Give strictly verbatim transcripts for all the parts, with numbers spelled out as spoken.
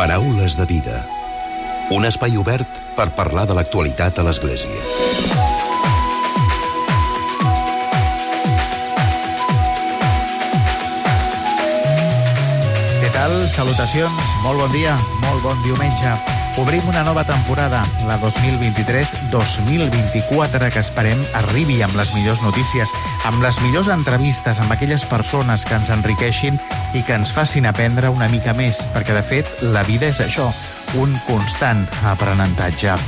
Paraules de vida. Un espai obert per parlar de l'actualitat a l'Església. Què tal? Salutacions, molt bon dia, molt bon diumenge. Obrim una nova temporada, la dos mil vint-i-tres dos mil vint-i-quatre, que esperem arribi amb les millors notícies, amb les millors entrevistes, amb aquelles persones que ens enriqueixin i que ens facin aprendre una mica més, perquè de fet la vida és això, un constant aprenentatge.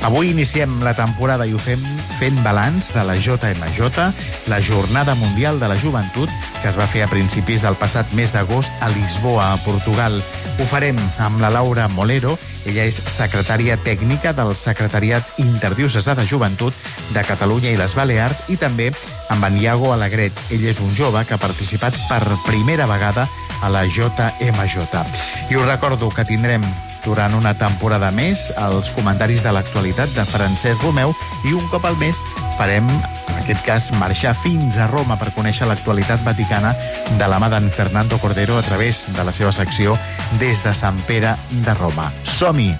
Avui iniciem la temporada i ho fem fent balanç de la J M J, la Jornada Mundial de la Joventut, que es va fer a principis del passat mes d'agost a Lisboa, a Portugal. Ho farem amb la Laura Molero. Ella és secretària tècnica del Secretariat Interdiocesà de Joventut de Catalunya i les Balears, i també amb en Iago Alegret. Ell és un jove que ha participat per primera vegada a la J M J. I us recordo que tindrem durant una temporada més els comentaris de l'actualitat de Francesc Romeu, i un cop al mes farem, en aquest cas, marxar fins a Roma per conèixer l'actualitat vaticana de la mà d'en Fernando Cordero a través de la seva secció Des de Sant Pere de Roma. Som-hi!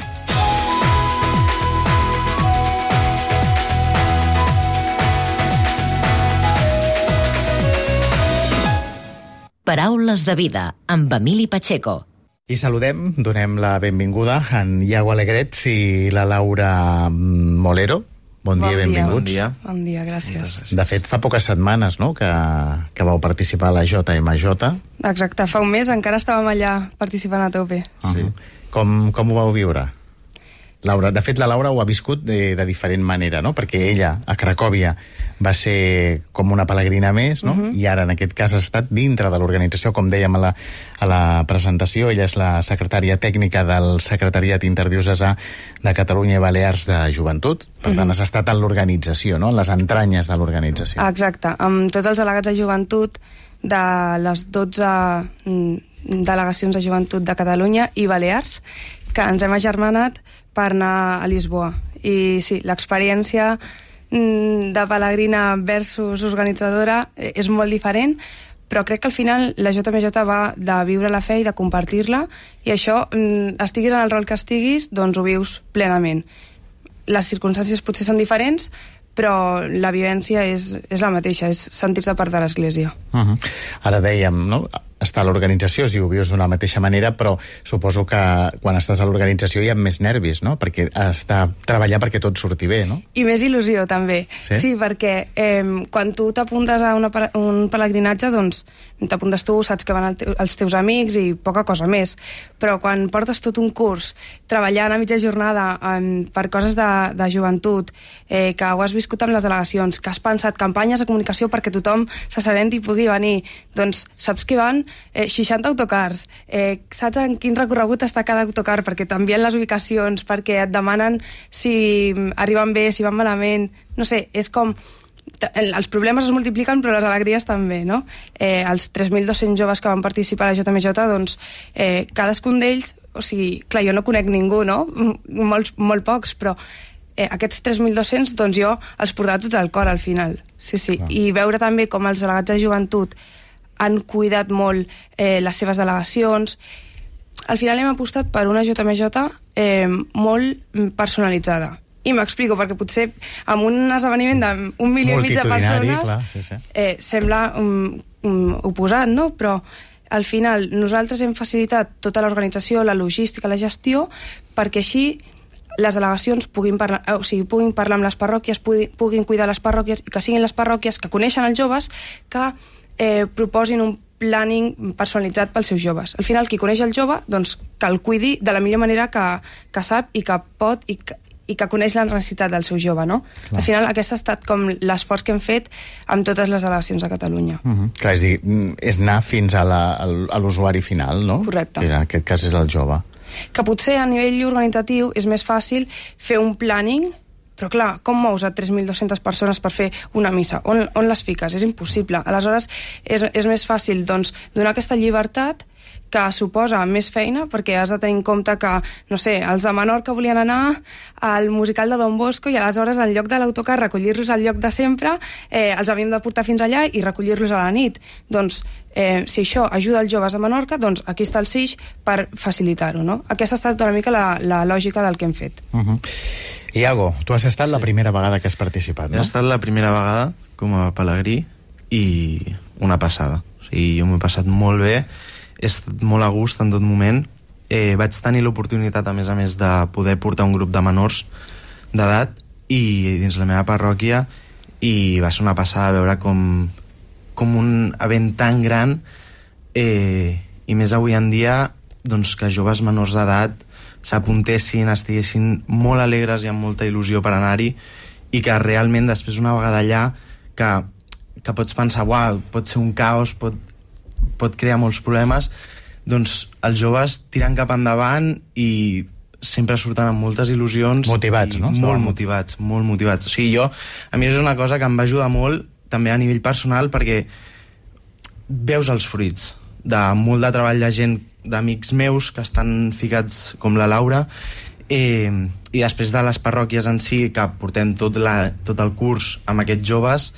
Paraules de vida, amb Emili Pacheco. I saludem, donem la benvinguda a en Iago Alegret i la Laura Molero. Bon, bon dia, benvinguts. Bon dia. Bon dia, gràcies. De fet, fa poques setmanes, no?, que, que vau participar a la J M J. Exacte, fa un mes encara estàvem allà participant a tope. Sí. Com, com ho vau viure? Laura, de fet, la Laura ho ha viscut de, de diferent manera, no?, perquè ella, a Cracòvia, va ser com una pelegrina més, no?, uh-huh. I ara, en aquest cas, ha estat dintre de l'organització, com dèiem a la, a la presentació. Ella és la secretària tècnica del Secretariat Interdiocesà de Catalunya i Balears de Joventut. Per tant, uh-huh. has estat en l'organització, no?, en les entranyes de l'organització. Exacte, amb tots els delegats de joventut de les dotze delegacions de joventut de Catalunya i Balears, que ens hem agermanat per anar a Lisboa. I sí, l'experiència de pelegrina versus organitzadora és molt diferent, però crec que al final la J M J va de viure la fe i de compartir-la, i això, estiguis en el rol que estiguis, doncs ho vius plenament. Les circumstàncies potser són diferents, però la vivència és, és la mateixa, és sentir-te part de l'Església. Uh-huh. Ara dèiem, no?, està a l'organització, si ho vius d'una mateixa manera, però suposo que quan estàs a l'organització hi ha més nervis, no?, perquè has de treballar perquè tot surti bé, no? I més il·lusió, també. Sí, sí, perquè eh, quan tu t'apuntes a una, un pelegrinatge, doncs t'apuntes tu, saps que van el te els teus amics i poca cosa més. Però quan portes tot un curs treballant a mitja jornada en, per coses de, de joventut, eh, que ho has viscut amb les delegacions, que has pensat campanyes de comunicació perquè tothom s'assabenti i pugui venir, doncs saps que van eh, seixanta autocars, eh, saps en quin recorregut està cada autocar, perquè t'envien les ubicacions, perquè et demanen si arriben bé, si van malament, no sé, és com els problemes es multipliquen, però les alegries també, no? Eh, els tres mil dos-cents joves que van participar a la J M J, doncs, eh, cadascun d'ells, o sigui, clar, jo no conec ningú, no? Molts, molt pocs, però eh, aquests tres mil dos-cents, doncs jo els portava tots al cor al final. Sí, sí. Ah. I veure també com els delegats de joventut han cuidat molt eh, les seves delegacions. Al final hem apostat per una J M J eh, molt personalitzada. I m'explico, perquè potser amb un esdeveniment d'un milió i mig de persones clar, sí, sí. Eh, sembla um, um, oposat, no? Però al final nosaltres hem facilitat tota l'organització, la logística, la gestió, perquè així les delegacions puguin parlar, o sigui, puguin parlar amb les parròquies, puguin, puguin cuidar les parròquies, i que siguin les parròquies que coneixen els joves que eh, proposin un planning personalitzat pels seus joves. Al final, qui coneix el jove, doncs que el cuidi de la millor manera que, que sap i que pot i que, i que coneix la necessitat del seu jove, no? Clar. Al final, aquest ha estat com l'esforç que hem fet amb totes les delegacions de Catalunya. Uh -huh. Clar, és dir, és anar fins a l'usuari final, no? Correcte. Que en aquest cas és el jove. Que potser a nivell organitzatiu és més fàcil fer un planning, però clar, com mous a tres mil dos-centes persones per fer una missa? On, on les fiques? És impossible. Aleshores, és, és més fàcil, doncs, donar aquesta llibertat que suposa més feina, perquè has de tenir en compte que, no sé, els de Menorca volien anar al musical de Don Bosco i aleshores en lloc de l'autocar recollir-los al lloc de sempre, eh, els havíem de portar fins allà i recollir-los a la nit. Doncs, eh, si això ajuda els joves de Menorca, doncs aquí està el S I X per facilitar-ho, no? Aquesta ha estat una mica la, la lògica del que hem fet. Uh-huh. Iago, tu has estat sí. la primera vegada que has participat, no? He estat la primera vegada com a pelegrí i una passada. O sigui, jo m'ho he passat molt bé, he estat molt a gust en tot moment. Eh, vaig tenir l'oportunitat, a més a més, de poder portar un grup de menors d'edat i dins la meva parròquia, i va ser una passada veure com, com un event tan gran, eh, i més avui en dia, doncs, que joves menors d'edat s'apuntessin, estiguessin molt alegres i amb molta il·lusió per anar-hi, i que realment després, una vegada allà, que, que pots pensar, uau, pot ser un caos, pot, pot crear molts problemes, doncs els joves tiren cap endavant i sempre surten amb moltes il·lusions. Motivats, no? Molt motivats, molt motivats. O sigui, jo, a mi és una cosa que em va ajudar molt, també a nivell personal, perquè veus els fruits de molt de treball de gent, d'amics meus que estan ficats com la Laura, eh, i després de les parròquies en si, que portem tot, la, tot el curs amb aquests joves,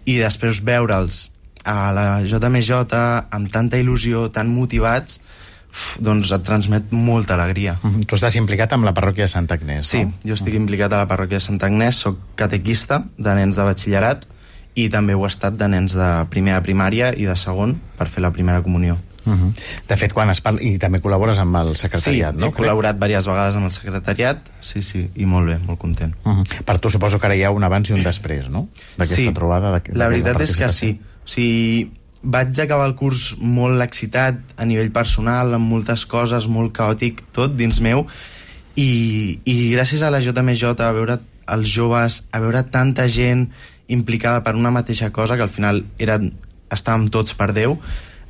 i després veure'ls a la J M J amb tanta il·lusió, tan motivats, uf, doncs et transmet molta alegria. Mm-hmm. Tu estàs implicat amb la parròquia de Santa Agnès, sí, no? Sí, jo estic implicat a la parròquia de Santa Agnès, soc catequista de nens de batxillerat i també ho he estat de nens de primer a primària i de segon per fer la primera comunió. Uh-huh. De fet, quan es parla... I també col·labores amb el secretariat, sí, no? Sí, he col·laborat diverses vegades amb el secretariat, sí, sí, i molt bé, molt content. Uh-huh. Per tu suposo que ara hi ha un abans i un després, no? D'aquesta sí, trobada. De, la veritat és que sí. O sigui, vaig acabar el curs molt excitat a nivell personal, amb moltes coses, molt caòtic, tot dins meu, i, i gràcies a la J M J, a veure els joves, a veure tanta gent implicada per una mateixa cosa, que al final eren, estàvem tots per Déu,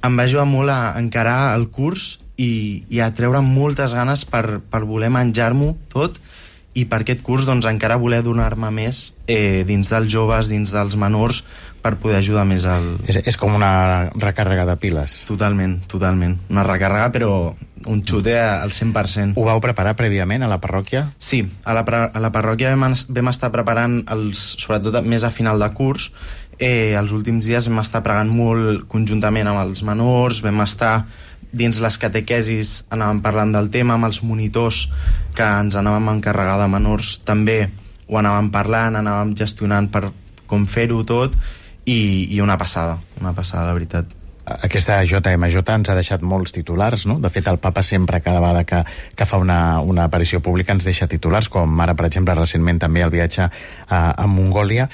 em va ajudar molt a encarar el curs i, i a treure moltes ganes per, per voler menjar-m'ho tot, i per aquest curs doncs, encara voler donar-me més eh, dins dels joves, dins dels menors, per poder ajudar més al... És, és com una recàrrega de piles. Totalment, totalment. Una recàrrega, però un xute al cent per cent. Ho vau preparar prèviament a la parròquia? Sí, a la, a la parròquia vam, vam estar preparant, els, sobretot més a final de curs. Eh, els últims dies vam estar pregant molt conjuntament amb els menors, vam estar dins les catequesis, anàvem parlant del tema amb els monitors que ens anàvem a encarregar de menors, també ho anàvem parlant, anàvem gestionant per com fer-ho tot, i, i una passada, una passada, la veritat. Aquesta J M J ens ha deixat molts titulars, no? De fet, el papa sempre, cada vegada que, que fa una, una aparició pública, ens deixa titulars, com ara, per exemple, recentment també el viatge a, a Mongòlia.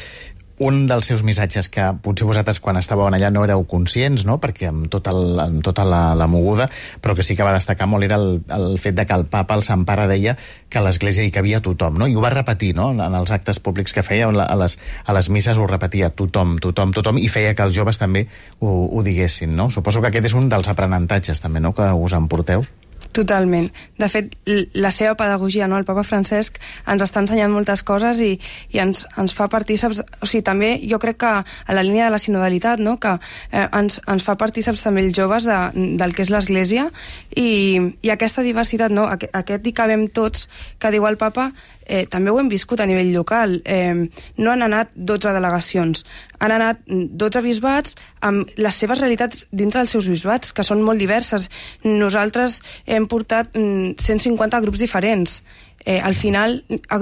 Un dels seus missatges que potser vosaltres quan estàveu allà no éreu conscients, no? Perquè amb, tot el, amb tota la, la moguda, però que sí que va destacar molt era el, el fet de que el papa, el Sant Pare, deia que a l'Església hi cabia tothom, no? I ho va repetir, no? En els actes públics que feia, a les, a les misses ho repetia tothom, tothom, tothom, i feia que els joves també ho, ho diguessin, no? Suposo que aquest és un dels aprenentatges també, no?, que us emporteu. Totalment. De fet, la seva pedagogia, no? El papa Francesc ens està ensenyant moltes coses i, i ens, ens fa partíceps... O sigui, també jo crec que a la línia de la sinodalitat, no? Que eh, ens, ens fa partíceps també els joves de, del que és l'Església, i, i aquesta diversitat, no? Aquest, aquest hi cabem tots, que diu el papa, eh, també ho hem viscut a nivell local. Eh, no han anat dotze delegacions, han anat dotze bisbats amb les seves realitats dintre dels seus bisbats, que són molt diverses. Nosaltres hem portat cent cinquanta grups diferents. Eh, al final,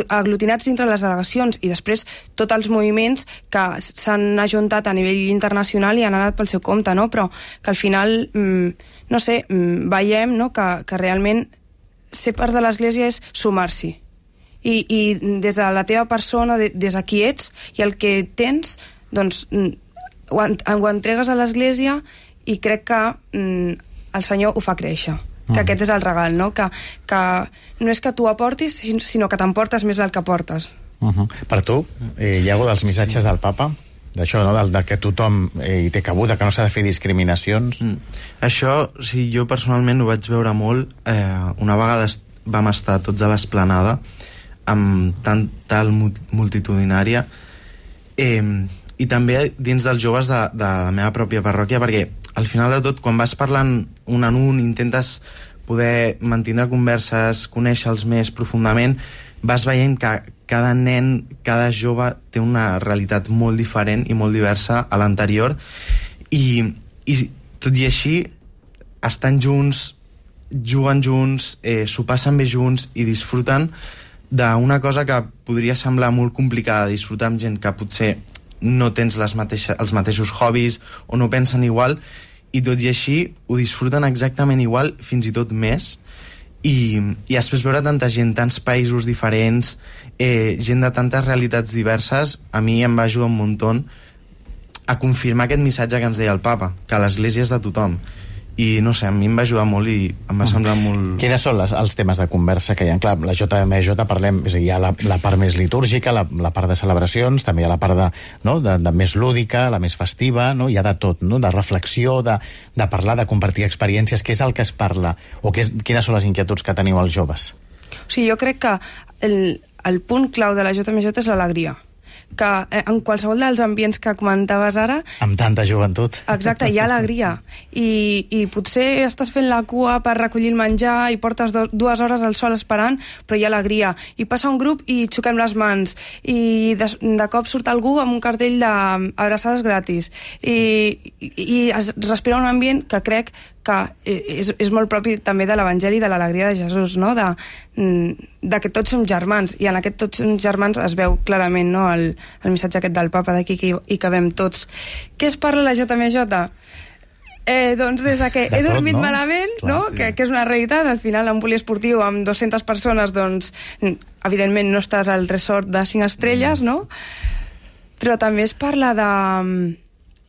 aglutinats dintre les delegacions, i després tots els moviments que s'han ajuntat a nivell internacional i han anat pel seu compte, no? Però que al final, mm, no sé, mm, veiem, no? que, que realment ser part de l'Església és sumar-s'hi. I, i des de la teva persona, de, des de qui ets i el que tens, doncs ho, ho entregues a l'Església, i crec que mm, el Senyor ho fa créixer. Que mm. aquest és el regal, no? Que, que no és que tu aportis, sinó que t'emportes més del que portes. Uh-huh. Per tu, eh, Iago, dels missatges sí. del papa, d'això, no? Del, del que tothom eh, hi té cabuda, que no s'ha de fer discriminacions. Mm. Això, sí, jo personalment ho vaig veure molt. Eh, una vegada vam estar tots a l'esplanada amb tant tal multitudinària, eh, i també dins dels joves de, de la meva pròpia parròquia, perquè al final de tot, quan vas parlant un en un, intentes poder mantenir converses, conèixer-los més profundament, vas veient que cada nen, cada jove té una realitat molt diferent i molt diversa a l'anterior, i, i tot i així estan junts, juguen junts, eh, s'ho passen bé junts i disfruten d'una cosa que podria semblar molt complicada de disfrutar amb gent que potser no tens les mateixa, els mateixos hobbies o no pensen igual, i tot i així ho disfruten exactament igual, fins i tot més, i, i després veure tanta gent, tants països diferents, eh, gent de tantes realitats diverses, a mi em va ajudar un muntó a confirmar aquest missatge que ens deia el papa, que l'església és de tothom. I no sé, a mi em va ajudar molt i em va semblar molt... Quines són les, els temes de conversa que hi ha? Clar, la J M J parlem, és a dir, hi ha la, la part més litúrgica, la, la part de celebracions, també hi ha la part de, no, de, de més lúdica, la més festiva, no? Hi ha de tot, no? De reflexió, de, de parlar, de compartir experiències. Què és el que es parla? O què és, quines són les inquietuds que teniu els joves? O sigui, jo crec que el, el punt clau de la J M J és l'alegria, que en qualsevol dels ambients que comentaves ara... Amb tanta joventut. Exacte, hi ha alegria. I, i potser estàs fent la cua per recollir el menjar i portes do, dues hores al sol esperant, però hi ha alegria. I passa un grup i xoquem les mans. I de, de cop surt algú amb un cartell d'abraçades gratis. I, i, i es respira un ambient que crec que és, és molt propi també de l'Evangeli, de l'alegria de Jesús, no? de, de que tots som germans, i en aquest tots som germans es veu clarament, no? el, el missatge aquest del papa d'aquí que hi cabem tots. Què es parla a la J M J? Eh, doncs des de que de he tot, dormit no? malament, Clar, no? sí. que, que és una realitat, al final en poliesportiu amb dues-centes persones, doncs evidentment no estàs al resort de cinc estrelles, mm. no? Però també es parla de,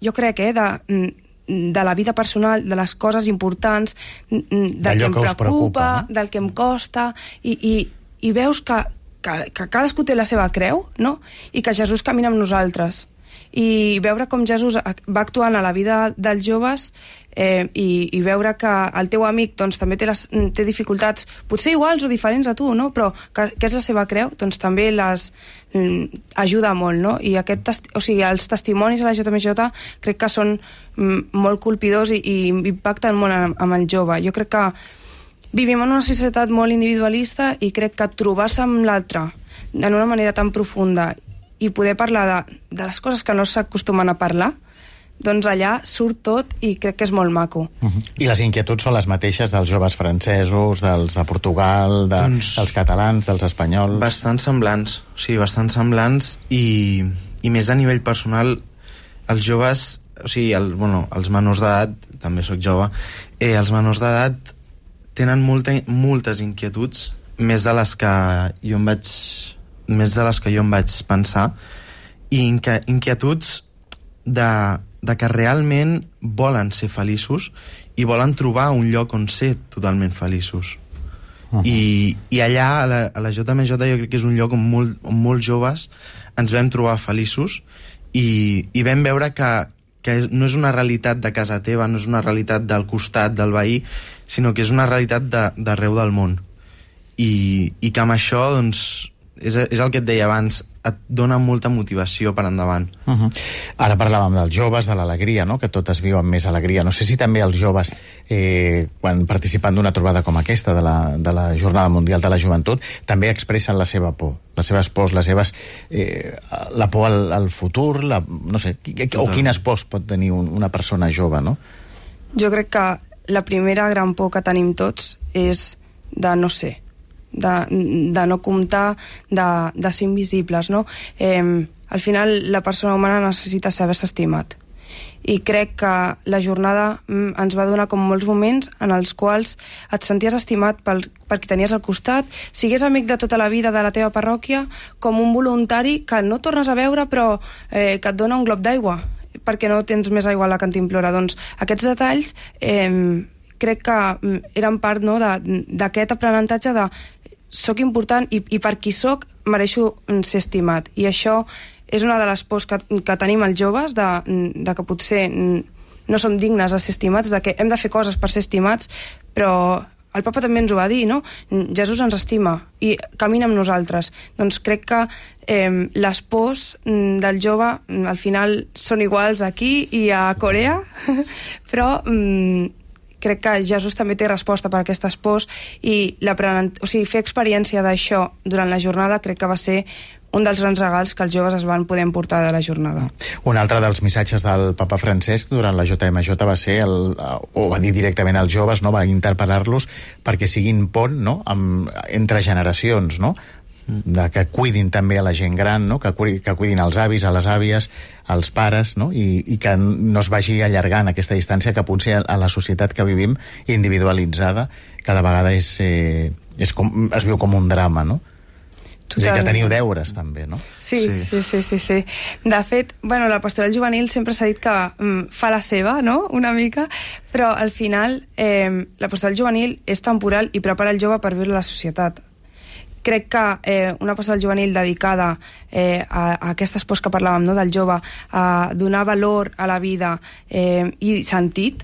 jo crec, eh, de de la vida personal, de les coses importants, del que em preocupa, preocupa no? del que em costa, i, i, i veus que, que, que cadascú té la seva creu, no? I que Jesús camina amb nosaltres. I veure com Jesús va actuant a la vida dels joves, eh, i, i veure que el teu amic doncs, també té, les, té dificultats, potser iguals o diferents a tu, no? Però que, que és la seva creu, doncs també les mm, ajuda molt, no? I aquest testi o sigui, els testimonis a la J M J crec que són mm, molt colpidors i, i impacten molt amb, amb el jove. Jo crec que vivim en una societat molt individualista i crec que trobar-se amb l'altre d'una manera tan profunda i poder parlar de, de les coses que no s'acostumen a parlar, doncs allà surt tot i crec que és molt maco. Uh-huh. I les inquietuds són les mateixes dels joves francesos, dels de Portugal, de, doncs, dels catalans, dels espanyols? Bastant semblants, o sigui, bastant semblants, i, i més a nivell personal, els joves, o sigui, el, bueno, els menors d'edat, també sóc jove, eh, els menors d'edat tenen molta, moltes inquietuds, més de les que jo em vaig... més de les que jo em vaig pensar, i inquietuds de, de que realment volen ser feliços i volen trobar un lloc on ser totalment feliços. Uh-huh. I, i allà, a la, a la J M J, jo crec que és un lloc on, molt, on molts joves ens vam trobar feliços i, i vam veure que, que no és una realitat de casa teva, no és una realitat del costat, del veí, sinó que és una realitat d'arreu del món. I, i que amb això, doncs, és, és el que et deia abans, et dona molta motivació per endavant. Uh-huh. Ara parlàvem dels joves, de l'alegria, no? Que tot es viu amb més alegria. No sé si també els joves, eh, quan participen d'una trobada com aquesta, de la, de la Jornada Mundial de la Joventut, també expressen la seva por, les seves pors, les seves, eh, la por al, al futur, la, no sé, o quines pors pot tenir un, una persona jove, no? Jo crec que la primera gran por que tenim tots és de no ser, De, de no comptar, de, de ser invisibles, no? Eh, al final la persona humana necessita saber-se estimat, i crec que la jornada mm, ens va donar com molts moments en els quals et senties estimat pel, per qui tenies al costat, sigués amic de tota la vida de la teva parròquia, com un voluntari que no tornes a veure però eh, que et dona un glob d'aigua perquè no tens més aigua a la cantimplora. Doncs aquests detalls eh, crec que eren part, no, d'aquest aprenentatge de soc important i, i per qui soc mereixo ser estimat. I això és una de les pors que, que tenim els joves, de, de que potser no som dignes de ser estimats, de que hem de fer coses per ser estimats, però el papa també ens ho va dir, no? Jesús ens estima i camina amb nosaltres. Doncs crec que eh, les pors del jove al final són iguals aquí i a Corea, però mm, crec que Jesús també té resposta per a aquestes pors i o sigui, fer experiència d'això durant la jornada crec que va ser un dels grans regals que els joves es van poder emportar de la jornada. Un altre dels missatges del papa Francesc durant la J M J va ser, el, o va dir directament als joves, no? Va interpel·lar-los perquè siguin pont, no? Amb, entre generacions, no? De que cuidin també a la gent gran, no? que, que cuidin els avis, a les àvies, als pares, no? I, i que no es vagi allargant aquesta distància que potser a la societat que vivim individualitzada cada vegada és, eh, és com, es viu com un drama, no? Total. És a dir, que teniu deures també, no? Sí, sí, sí, sí, sí. De fet, bueno, la pastoral juvenil sempre s'ha dit que mm, fa la seva, no?, una mica, però al final eh, la pastoral juvenil és temporal i prepara el jove per viure la societat. Crec que eh, una pastoral juvenil dedicada eh, a, a aquestes pors que parlàvem, no?, del jove, a donar valor a la vida eh, i sentit,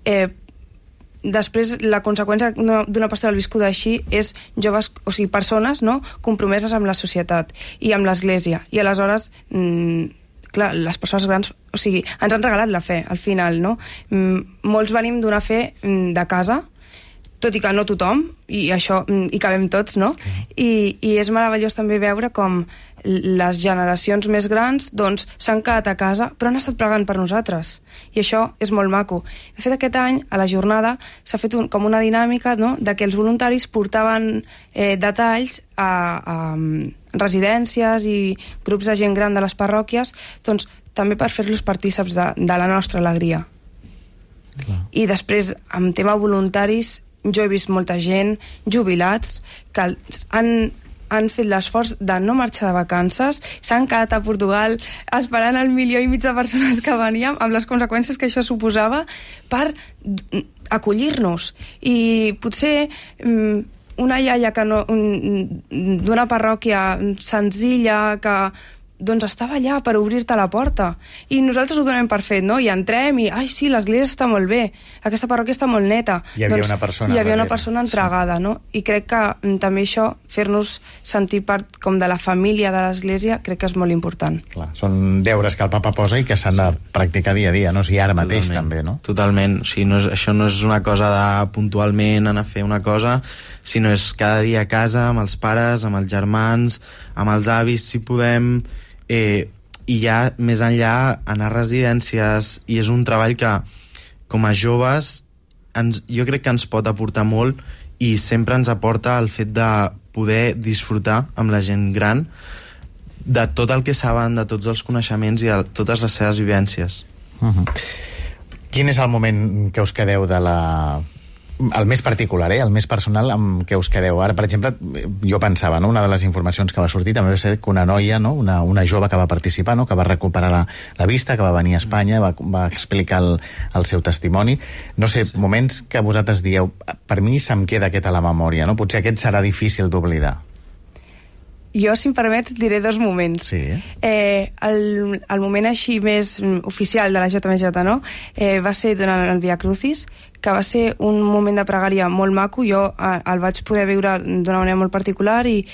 eh, després la conseqüència d'una pastoral viscuda així és joves, o sigui, persones, no?, compromeses amb la societat i amb l'església. I aleshores, mmm, clar, les persones grans, o sigui, ens han regalat la fe, al final, no? Mm, molts venim d'una fe mm, de casa, tot i que no tothom, i això hi cabem tots, no? Okay. I, I és meravellós també veure com les generacions més grans doncs s'han quedat a casa, però han estat pregant per nosaltres. I això és molt maco. De fet, aquest any, a la jornada, s'ha fet un, com una dinàmica, no?, de que els voluntaris portaven eh, detalls a, a residències i grups de gent gran de les parròquies, doncs també per fer-los partíceps de, de la nostra alegria. Clar. I després, amb tema voluntaris, jo he vist molta gent, jubilats, que han, han fet l'esforç de no marxar de vacances, s'han quedat a Portugal esperant el milió i mig de persones que veníem, amb les conseqüències que això suposava, per acollir-nos. I potser una iaia que no, d'una parròquia senzilla que doncs estava allà per obrir-te la porta i nosaltres ho donem per fet, no? I entrem i, ai sí, l'església està molt bé, aquesta parròquia està molt neta. Hi havia doncs, una persona hi havia una persona entregada, sí. No? I crec que mm, també això, fer-nos sentir part com de la família de l'església, crec que és molt important. Clar, són deures que el papa posa i que s'han de practicar dia a dia, no? O sigui, ara mateix Totalment. també, no? Totalment, o sigui, no és, això no és una cosa de puntualment anar a fer una cosa, sinó és cada dia a casa, amb els pares, amb els germans, amb els avis, si podem... Eh, i ja més enllà anar a residències, i és un treball que com a joves ens, jo crec que ens pot aportar molt i sempre ens aporta el fet de poder disfrutar amb la gent gran de tot el que saben, de tots els coneixements i de totes les seves vivències. Uh-huh. Quin és el moment que us quedeu de la... el més particular, eh? El més personal amb què us quedeu? Ara, per exemple, jo pensava, no? Una de les informacions que va sortir també va ser que una noia, no? una, una jove que va participar, no? Que va recuperar la, la vista, que va venir a Espanya, va, va explicar el, el seu testimoni. No sé, sí. Moments que vosaltres dieu, per mi se'm queda aquest a la memòria, no? Potser aquest serà difícil d'oblidar. Jo, si em permets, diré dos moments. Sí. Eh, el, el moment així més oficial de la J M J, no? Eh, va ser durant el Via Crucis, que va ser un moment de pregària molt maco. Jo eh, el vaig poder viure d'una manera molt particular i,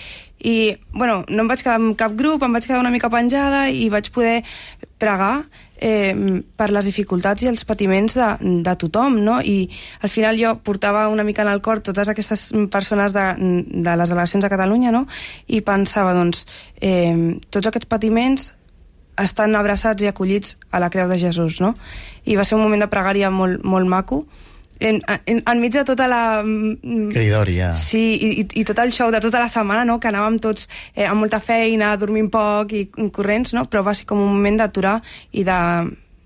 i bueno, no em vaig quedar en cap grup, em vaig quedar una mica penjada i vaig poder pregar eh, per les dificultats i els patiments de, de tothom, no? I al final jo portava una mica en el cor totes aquestes persones de, de les delegacions de Catalunya, no? I pensava, doncs, eh, tots aquests patiments estan abraçats i acollits a la creu de Jesús, no? I va ser un moment de pregària molt, molt maco, En, en, enmig de tota la... Cridòria. Sí, i, i tot el show de tota la setmana, no?, que anàvem tots eh, amb molta feina, dormint poc i corrents, no?, però va ser com un moment d'aturar i de,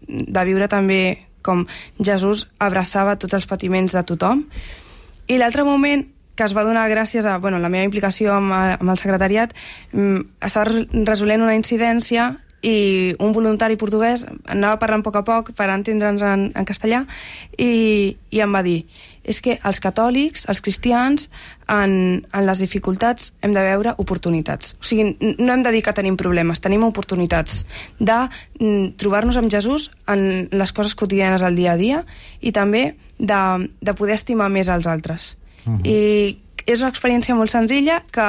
de viure també com Jesús abraçava tots els patiments de tothom. I l'altre moment que es va donar gràcies a bueno, la meva implicació amb, amb el secretariat, estava resolent una incidència i un voluntari portuguès anava parlant a poc a poc per entendre'ns en, en castellà i, i em va dir, és que els catòlics, els cristians, en, en les dificultats hem de veure oportunitats. O sigui, no hem de dir que tenim problemes, tenim oportunitats de mm, trobar-nos amb Jesús en les coses quotidianes del dia a dia i també de, de poder estimar més als altres. Uh-huh. I és una experiència molt senzilla que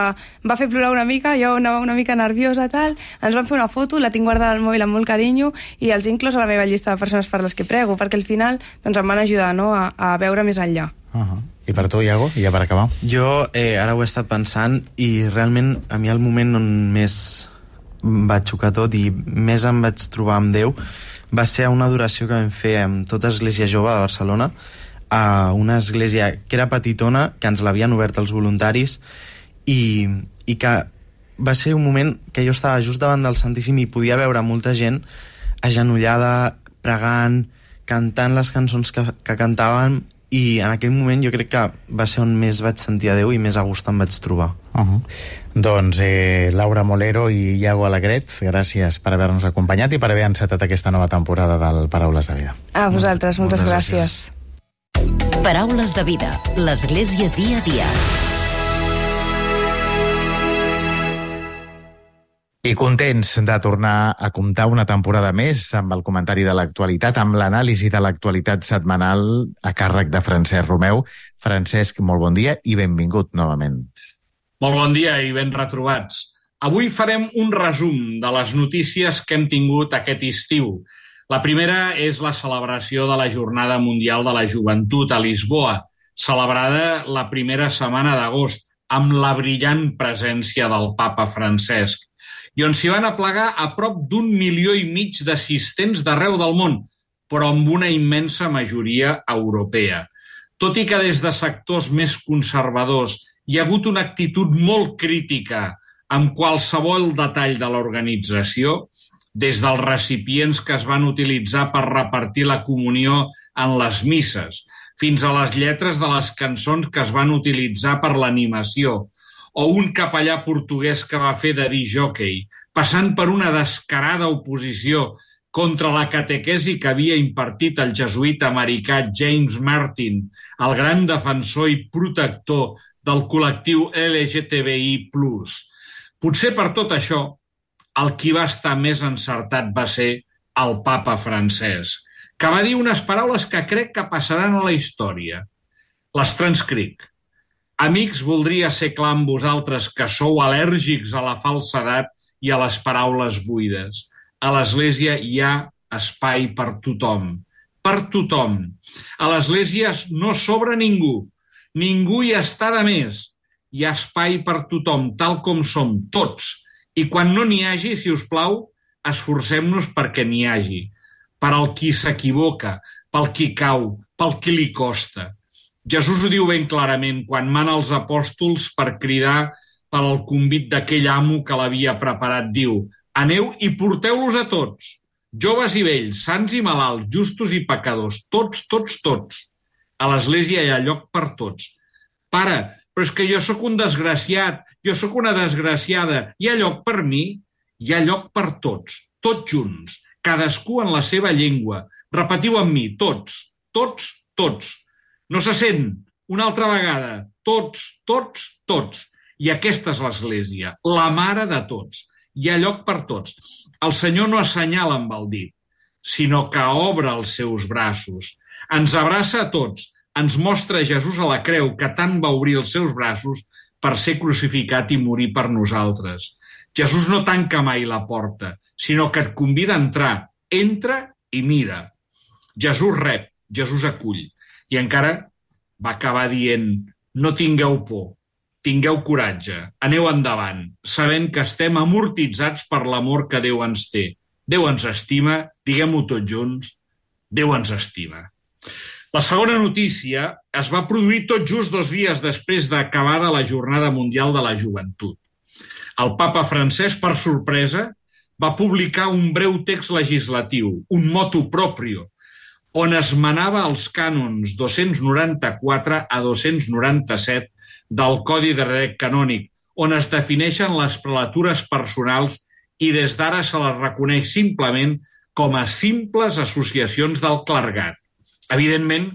va fer plorar una mica, jo anava una mica nerviosa, tal, ens van fer una foto, la tinc guardada al mòbil amb molt carinyo i els he inclòs a la meva llista de persones per les que prego, perquè al final doncs, em van ajudar, no?, a, a veure més enllà. Uh-huh. I per tu, Iago, ja per acabar? Jo eh, ara ho he estat pensant i realment a mi el moment on més va xocar tot i més em vaig trobar amb Déu va ser una adoració que vam fer amb tota Església Jove de Barcelona, a una església que era petitona, que ens l'havien obert els voluntaris i, i que va ser un moment que jo estava just davant del Santíssim i podia veure molta gent agenollada, pregant, cantant les cançons que, que cantaven, i en aquell moment jo crec que va ser on més vaig sentir a Déu i més a gust em vaig trobar. Uh-huh. Doncs eh, Laura Molero i Iago Alegret, gràcies per haver-nos acompanyat i per haver encetat aquesta nova temporada del Paraules de Vida. A vosaltres, moltes, moltes gràcies. gràcies. Paraules de Vida, l'Església dia a dia. I contents de tornar a comptar una temporada més amb el comentari de l'actualitat, amb l'anàlisi de l'actualitat setmanal a càrrec de Francesc Romeu. Francesc, molt bon dia i benvingut novament. Molt bon dia i ben retrobats. Avui farem un resum de les notícies que hem tingut aquest estiu. La primera és la celebració de la Jornada Mundial de la Joventut a Lisboa, celebrada la primera setmana d'agost, amb la brillant presència del papa Francesc, i on s'hi van aplegar a prop d'un milió i mig d'assistents d'arreu del món, però amb una immensa majoria europea. Tot i que des de sectors més conservadors hi ha hagut una actitud molt crítica amb qualsevol detall de l'organització, des dels recipients que es van utilitzar per repartir la comunió en les misses, fins a les lletres de les cançons que es van utilitzar per l'animació, o un capellà portuguès que va fer de disc-jòquei, passant per una descarada oposició contra la catequesi que havia impartit el jesuïta americà James Martin, el gran defensor i protector del col·lectiu L G T B I plus. Potser per tot això, el qui va estar més encertat va ser el papa Francesc, que va dir unes paraules que crec que passaran a la història. Les transcric. Amics, voldria ser clar amb vosaltres que sou al·lèrgics a la falsedat i a les paraules buides. A l'Església hi ha espai per tothom. Per tothom. A l'Església no sobra ningú. Ningú hi està de més. Hi ha espai per tothom, tal com som tots. I quan no n'hi hagi, si us plau, esforcem-nos perquè n'hi hagi. Per al qui s'equivoca, pel qui cau, pel qui li costa. Jesús ho diu ben clarament quan mana els apòstols per cridar per al convit d'aquell amo que l'havia preparat. Diu, aneu i porteu-los a tots, joves i vells, sants i malalts, justos i pecadors, tots, tots, tots. A l'Església hi ha lloc per tots. Pare, però és que jo sóc un desgraciat, jo sóc una desgraciada, hi ha lloc per mi? Hi ha lloc per tots, tots junts, cadascú en la seva llengua. Repetiu amb mi, tots, tots, tots. No se sent? Una altra vegada. Tots, tots, tots. I aquesta és l'Església, la mare de tots. Hi ha lloc per tots. El Senyor no assenyala amb el dit, sinó que obre els seus braços. Ens abraça a tots, ens mostra Jesús a la creu, que tant va obrir els seus braços per ser crucificat i morir per nosaltres. Jesús no tanca mai la porta, sinó que et convida a entrar. Entra i mira. Jesús rep, Jesús acull. I encara va acabar dient, no tingueu por, tingueu coratge, aneu endavant, sabent que estem amortitzats per l'amor que Déu ens té. Déu ens estima, diguem-ho tots junts, Déu ens estima. La segona notícia es va produir tot just dos dies després d'acabada la Jornada Mundial de la Joventut. El papa Francesc, per sorpresa, va publicar un breu text legislatiu, un motu proprio, on es manava els cànons dos-cents noranta-quatre a dos-cents noranta-set del Codi de Dret Canònic, on es defineixen les prelatures personals i des d'ara se les reconeix simplement com a simples associacions del clergat. Evidentment,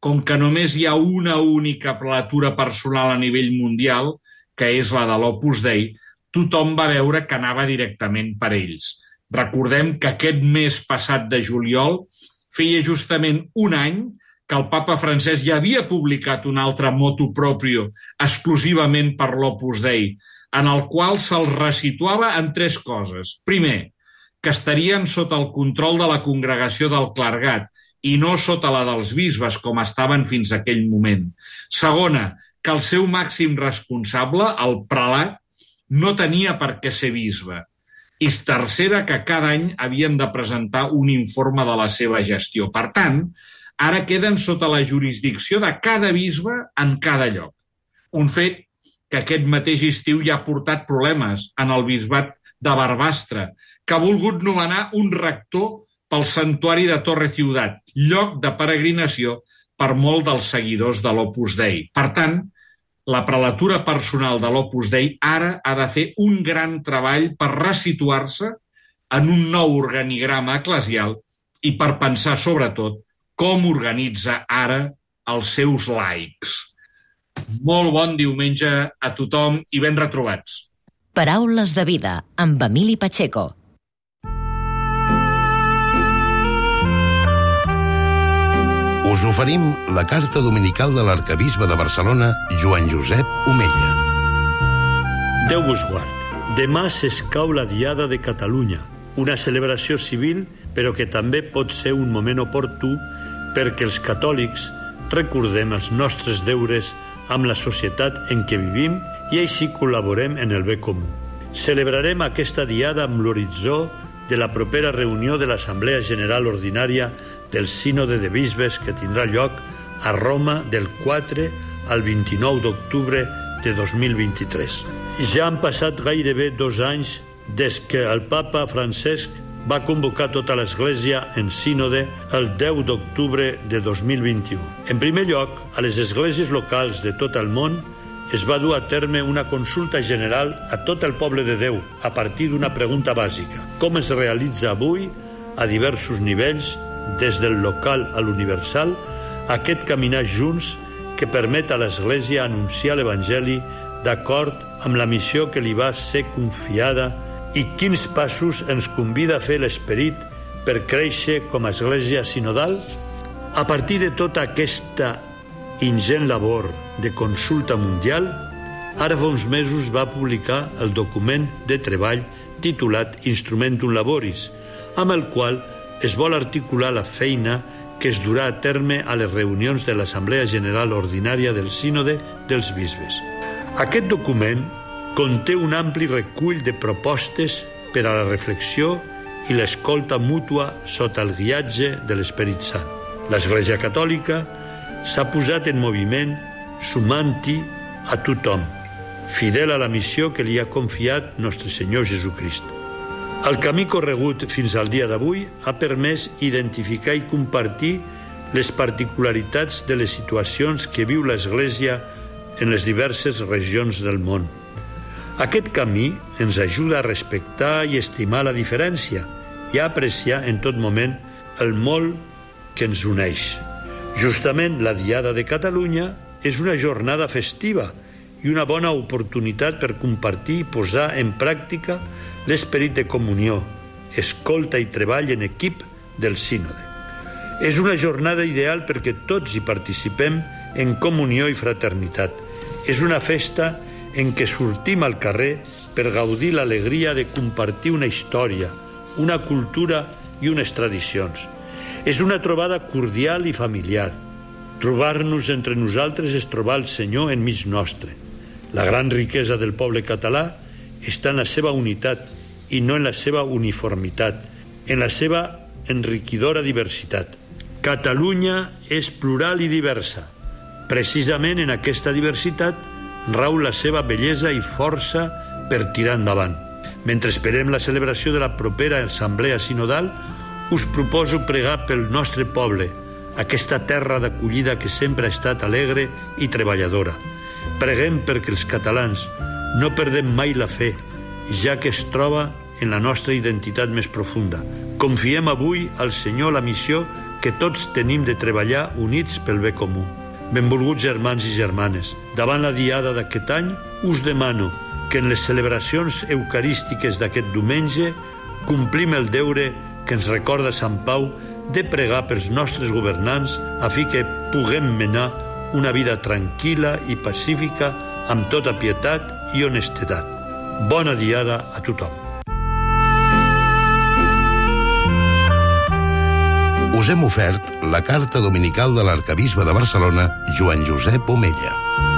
com que només hi ha una única prelatura personal a nivell mundial, que és la de l'Opus Dei, tothom va veure que anava directament per ells. Recordem que aquest mes passat de juliol feia justament un any que el papa Francesc ja havia publicat un altre motu proprio exclusivament per l'Opus Dei, en el qual se'l resituava en tres coses. Primer, que estarien sota el control de la congregació del clergat i no sota la dels bisbes, com estaven fins a aquell moment. Segona, que el seu màxim responsable, el prelat, no tenia per què ser bisbe. I tercera, que cada any havien de presentar un informe de la seva gestió. Per tant, ara queden sota la jurisdicció de cada bisbe en cada lloc. Un fet que aquest mateix estiu ja ha portat problemes en el bisbat de Barbastre, que ha volgut nomenar un rector pel santuari de Torre Ciutat, lloc de peregrinació per molt dels seguidors de l'Opus Dei. Per tant, la prelatura personal de l'Opus Dei ara ha de fer un gran treball per resituar-se en un nou organigrama eclesial i per pensar, sobretot, com organitza ara els seus laics. Molt bon diumenge a tothom i ben retrobats. Paraules de vida, amb Emili Pacheco. Us oferim la carta dominical de l'arcabisbe de Barcelona, Joan Josep Omella. Déu vos guard. Demà s'escau la Diada de Catalunya, una celebració civil, però que també pot ser un moment oportú perquè els catòlics recordem els nostres deures amb la societat en què vivim i així col·laborem en el bé comú. Celebrarem aquesta diada amb l'horitzó de la propera reunió de l'Assemblea General Ordinària del Sínode de Bisbes que tindrà lloc a Roma del quatre al vint-i-nou d'octubre de dos mil vint-i-tres. Ja han passat gairebé dos anys des que el papa Francesc va convocar tota l'Església en sínode el deu d'octubre de dos mil vint-i-u. En primer lloc, a les esglésies locals de tot el món es va dur a terme una consulta general a tot el poble de Déu a partir d'una pregunta bàsica. Com es realitza avui, a diversos nivells, des del local a l'universal, aquest caminar junts que permet a l'Església anunciar l'Evangeli d'acord amb la missió que li va ser confiada i quins passos ens convida a fer l'Esperit per créixer com a Església sinodal? A partir de tota aquesta ingent labor de consulta mundial, ara fa uns mesos va publicar el document de treball titulat Instrumentum Laboris, amb el qual es vol articular la feina que es durà a terme a les reunions de l'Assemblea General Ordinària del Sínode dels Bisbes. Aquest document conté un ampli recull de propostes per a la reflexió i l'escolta mútua sota el guiatge de l'Esperit Sant. L'Església Catòlica s'ha posat en moviment sumant-hi a tothom, fidel a la missió que li ha confiat nostre Senyor Jesucrist. El camí corregut fins al dia d'avui ha permès identificar i compartir les particularitats de les situacions que viu l'Església en les diverses regions del món. Aquest camí ens ajuda a respectar i estimar la diferència i a apreciar en tot moment el molt que ens uneix. Justament la Diada de Catalunya és una jornada festiva i una bona oportunitat per compartir i posar en pràctica l'esperit de comunió, escolta i treball en equip del sínode. És una jornada ideal perquè tots hi participem en comunió i fraternitat. És una festa en què sortim al carrer per gaudir l'alegria de compartir una història, una cultura i unes tradicions. És una trobada cordial i familiar. Trobar-nos entre nosaltres és trobar el Senyor enmig nostre. La gran riquesa del poble català està en la seva unitat i no en la seva uniformitat, en la seva enriquidora diversitat. Catalunya és plural i diversa. Precisament en aquesta diversitat rau la seva bellesa i força per tirar endavant. Mentre esperem la celebració de la propera Assemblea Sinodal, us proposo pregar pel nostre poble, aquesta terra d'acollida que sempre ha estat alegre i treballadora. Preguem perquè els catalans no perdem mai la fe, ja que es troba en la nostra identitat més profunda. Confiem avui al Senyor la missió que tots tenim de treballar units pel bé comú. Benvolguts germans i germanes, davant la diada d'aquest any, us demano que en les celebracions eucarístiques d'aquest diumenge complim el deure que ens recorda Sant Pau de pregar pels nostres governants a fi que puguem menar una vida tranquil·la i pacífica amb tota pietat i honestedat. Bona diada a tothom. Us hem ofert la carta dominical de l'arcabisbe de Barcelona, Joan Josep Omella.